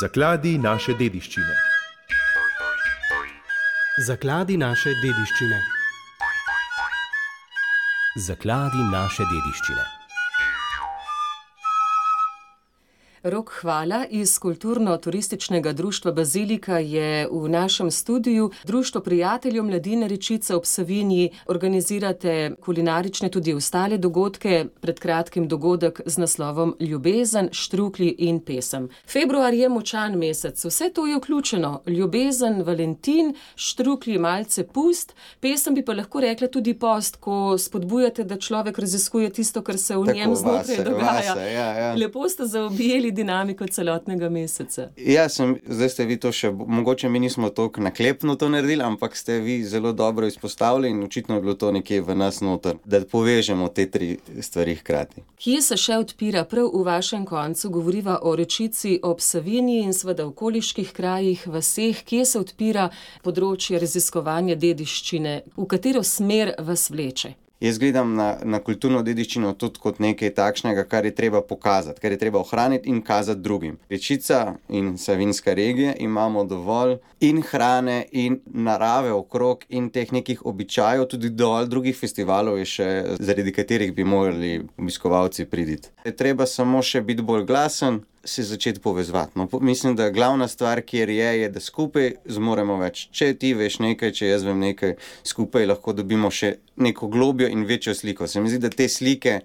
Zakladi naše dediščine. Zakladi naše dediščine. Zakladi naše dediščine. Rok Hvala iz Kulturno-turističnega društva Bazilika je v našem studiu. Društvo prijateljev mladine Rečica ob Savinji, organizirate kulinarične tudi ostale dogodke, pred kratkim dogodek z naslovom Ljubezen, štruklji in pesem. Februar je močan mesec, vse to je vključeno. Ljubezen, Valentin, štruklji, malce pust, pesem bi pa lahko rekla tudi post, ko spodbujate, da človek raziskuje tisto, kar se v njem znotraj dogaja. Ja. Lepo ste zaobjeli dinamiko celotnega meseca. Ja, zdaj ste vi to še, mogoče mi nismo toliko naklepno to naredili, ampak ste vi zelo dobro izpostavili in očitno je bilo to nekje v nas noter, da povežemo te tri stvari hkrati. Kje se še odpira prav v vašem koncu? Govoriva o Rečici ob Savinji in seveda okoliških krajih, vaseh. Kje se odpira področje raziskovanja dediščine? V katero smer vas vleče? Jaz gledam na kulturno dediščino tudi kot nekaj takšnega, kar je treba pokazati, kar je treba ohraniti in kazati drugim. Rečica in Savinjska regija imamo dovolj in hrane in narave okrog in teh nekih običajev, tudi dovolj drugih festivalov je še, zaradi katerih bi morali obiskovalci priti. Je treba samo še biti bolj glasen, se začeti povezovati. No, mislim, da glavna stvar, kjer je, da skupaj zmoremo več. Če ti veš nekaj, če jaz vem nekaj, skupaj lahko dobimo še neko globjo in večjo sliko. Se mi zdi, da te slike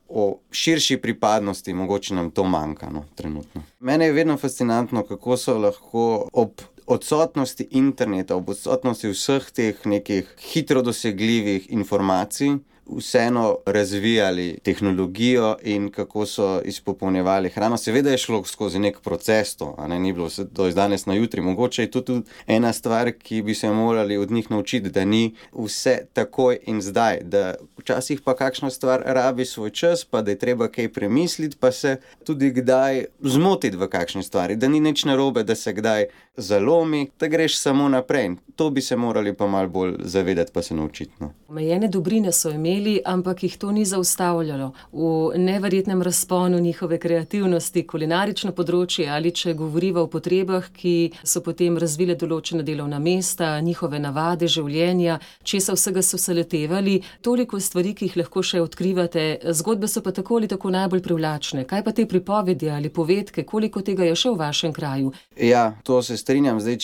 o širši pripadnosti, mogoče nam to manjka, trenutno. Mene je vedno fascinantno, kako so lahko ob odsotnosti interneta, ob odsotnosti vseh teh nekih hitro dosegljivih informacij, vseeno razvijali tehnologijo in kako so izpopolnjevali hrano. Seveda je šlo skozi nek proces to, ni bilo to iz danes na jutri. Mogoče je to tudi ena stvar, ki bi se morali od njih naučiti, da ni vse takoj in zdaj, da včasih pa kakšna stvar rabi svoj čas, pa da je treba kaj premisliti, pa se tudi kdaj zmotiti v kakšni stvari, da ni nič narobe, da se kdaj zalomi, da greš samo naprej. To bi se morali pa malo bolj zavedati, pa se naučiti. Omejene dobrine so imeli, ampak jih to ni zaustavljalo. V neverjetnem razponu njihove kreativnosti, kulinarično področje ali če govoriva o potrebah, ki so potem razvile določena delovna mesta, njihove navade, življenja, česa vsega so se letevali, toliko stvari, ki jih lahko še odkrivate, zgodbe so pa tako ali tako najbolj privlačne. Kaj pa te pripovedi ali povedke, koliko tega je še v vašem kraju? Ja, to se strinjam. Zdaj,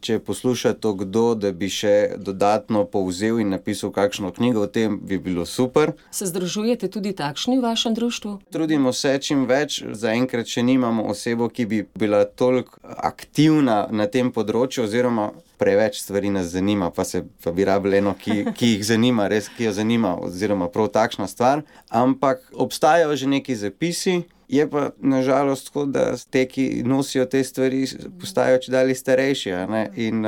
če posluša to kdo, da bi še dodatno povzel in napisal kakšno knjigo o tem, bi bilo super. Se združujete tudi takšni v vašem društvu? Trudimo se čim več. Zaenkrat še nimamo osebo, ki bi bila toliko aktivna na tem področju, oziroma preveč stvari nas zanima, pa bi rabili eno, ki jih zanima, res, ki jo zanima, oziroma prav takšna stvar. Ampak obstajajo že neki zapisi. Je pa nažalost tako, da te, ki nosijo te stvari, postajajo čedalje starejši, in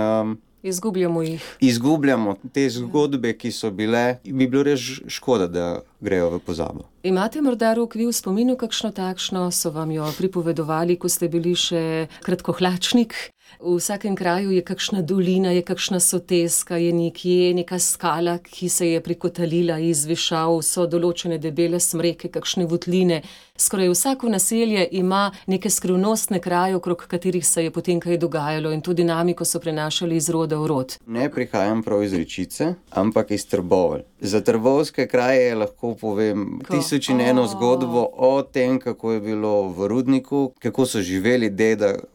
izgubljamo jih. Izgubljamo te zgodbe, ki so bile, bi bilo res škoda, da grejo v pozabo. Imate morda, Rok, vi v spominu kakšno takšno, so vam jo pripovedovali, ko ste bili še kratkohlačnik? V vsakem kraju je kakšna dolina, je kakšna soteska, je nekje neka skala, ki se je prikotalila iz višav, so določene debele smreke, kakšne votline. Skoraj vsako naselje ima neke skrivnostne kraje, okrog katerih se je potem kaj dogajalo in to dinamiko so prenašali iz roda v rod. Ne prihajam prav iz Rečice, ampak iz Trbovelj. Za trboveljske kraje lahko povem tisoč in eno zgodbo o tem, kako je bilo v rudniku, kako so živeli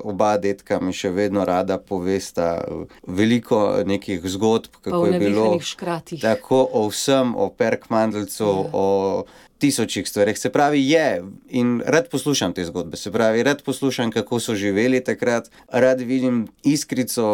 oba dedka mi še vedno rada povesta veliko nekih zgodb, kako je bilo tako o vsem, o Perkmandeljcu, o tisočih stvareh. Se pravi, in rad poslušam te zgodbe, rad poslušam, kako so živeli takrat, rad vidim iskrico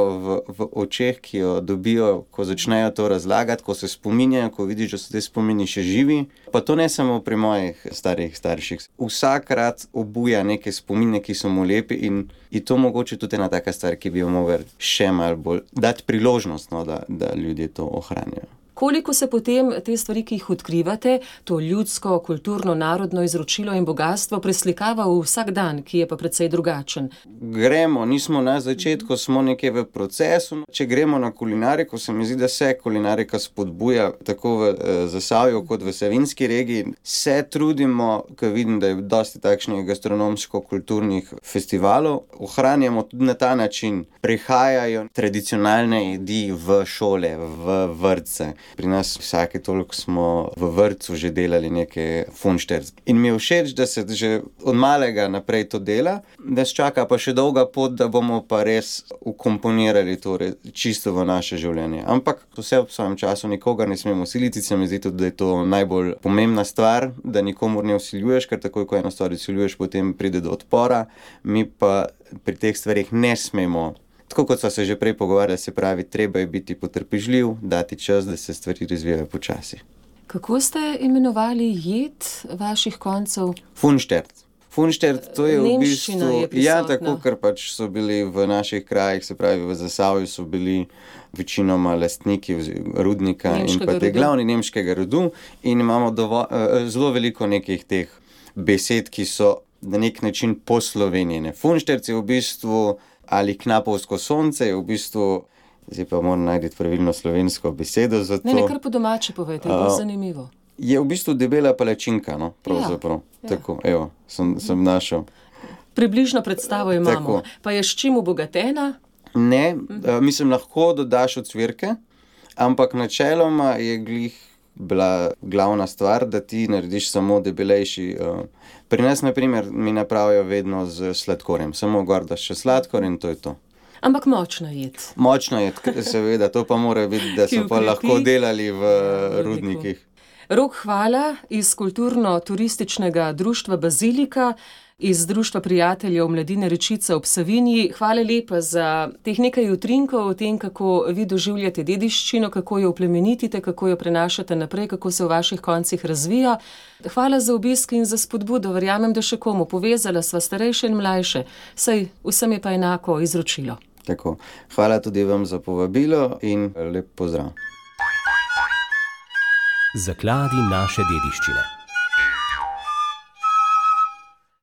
v očeh, ki jo dobijo, ko začnejo to razlagati, ko se spominjajo, ko vidiš, da so te spomini še živi. Pa to ne samo pri mojih starših. Vsakrat obuja neke spomine, ki so mu lepi in to mogoče tudi ena taka stvar, ki bi jo mogli še malo bolj dati priložnost, da ljudje to ohranjajo. Koliko se potem te stvari, ki jih odkrivate, to ljudsko, kulturno, narodno izročilo in bogatstvo preslikava v vsak dan, ki je pa precej drugačen? Gremo, nismo na začetku, smo nekje v procesu. Če gremo na kulinariko, se mi zdi, da se kulinarika spodbuja tako v Zasavju kot v Savinjski regiji. Se trudimo, ko vidim, da je dosti takšnih gastronomsko-kulturnih festivalov, ohranjamo tudi na ta način. Prihajajo tradicionalne jedi v šole, v vrtce. Pri nas vsake toliko smo v vrtcu že delali neke funšterc. In mi je všeč, da se že od malega naprej to dela, da se čaka pa še dolga pot, da bomo pa res ukomponirali to čisto v naše življenje. Ampak vse ob svojem času, nikogar ne smemo siliti, se mi zdi tudi, da je to najbolj pomembna stvar, da nikomur ne vsiljuješ, ker takoj, ko eno stvar vsiljuješ, potem pride do odpora. Mi pa pri teh stvarih ne smemo. Tako kot sva se že prej pogovarjali, se pravi, treba je biti potrpežljiv, dati čas, da se stvari razvijajo počasi. Kako ste imenovali jed vaših koncev? Funštert. Funštert, to je v Nemščina bistvu... je prisotna. Ja, tako, ker pač so bili v naših krajih, se pravi v Zasavju so bili večinoma lastniki rudnika Nemškega in pa te rodu. glavni nemškega rodu in imamo zelo veliko nekih teh besed, ki so na nek način poslovenjene. Funštert je v bistvu, ali knapovsko sonce je v bistvu, zdaj pa moram najti pravilno slovensko besedo za to. Ne, kar po domače povejte, bo zanimivo. Je v bistvu debela palačinka, no, pravzaprav. Ja. Tako, evo, sem našel. Približno predstavo imamo. Tako. Pa je s čim obogatena? Ne, mislim, lahko dodaš ocvirke, ampak načeloma je glih bila glavna stvar, da ti narediš samo debelejši. Pri nas, na primer, mi napravijo vedno z sladkorjem. Samo gor daš še sladkor in to je to. Ampak močna jed. Močno je, seveda, to pa mora biti, da Ki so pa ukrepi. lahko delali v rudniku. rudnikih. Rok Hvala iz kulturno-turističnega društva Bazilika, iz Društva prijateljev Mladine Rečice ob Savinji. Hvala lepa za teh nekaj utrinkov o tem, kako vi doživljate dediščino, kako jo oplemenitite, kako jo prenašate naprej, kako se v vaših koncih razvija. Hvala za obisk in za spodbudo. Verjamem, da še komu. Povezala sva starejše in mlajše. Saj vsem je pa enako izročilo. Tako. Hvala tudi vam za povabilo in lep pozdrav. Zakladi naše dediščine.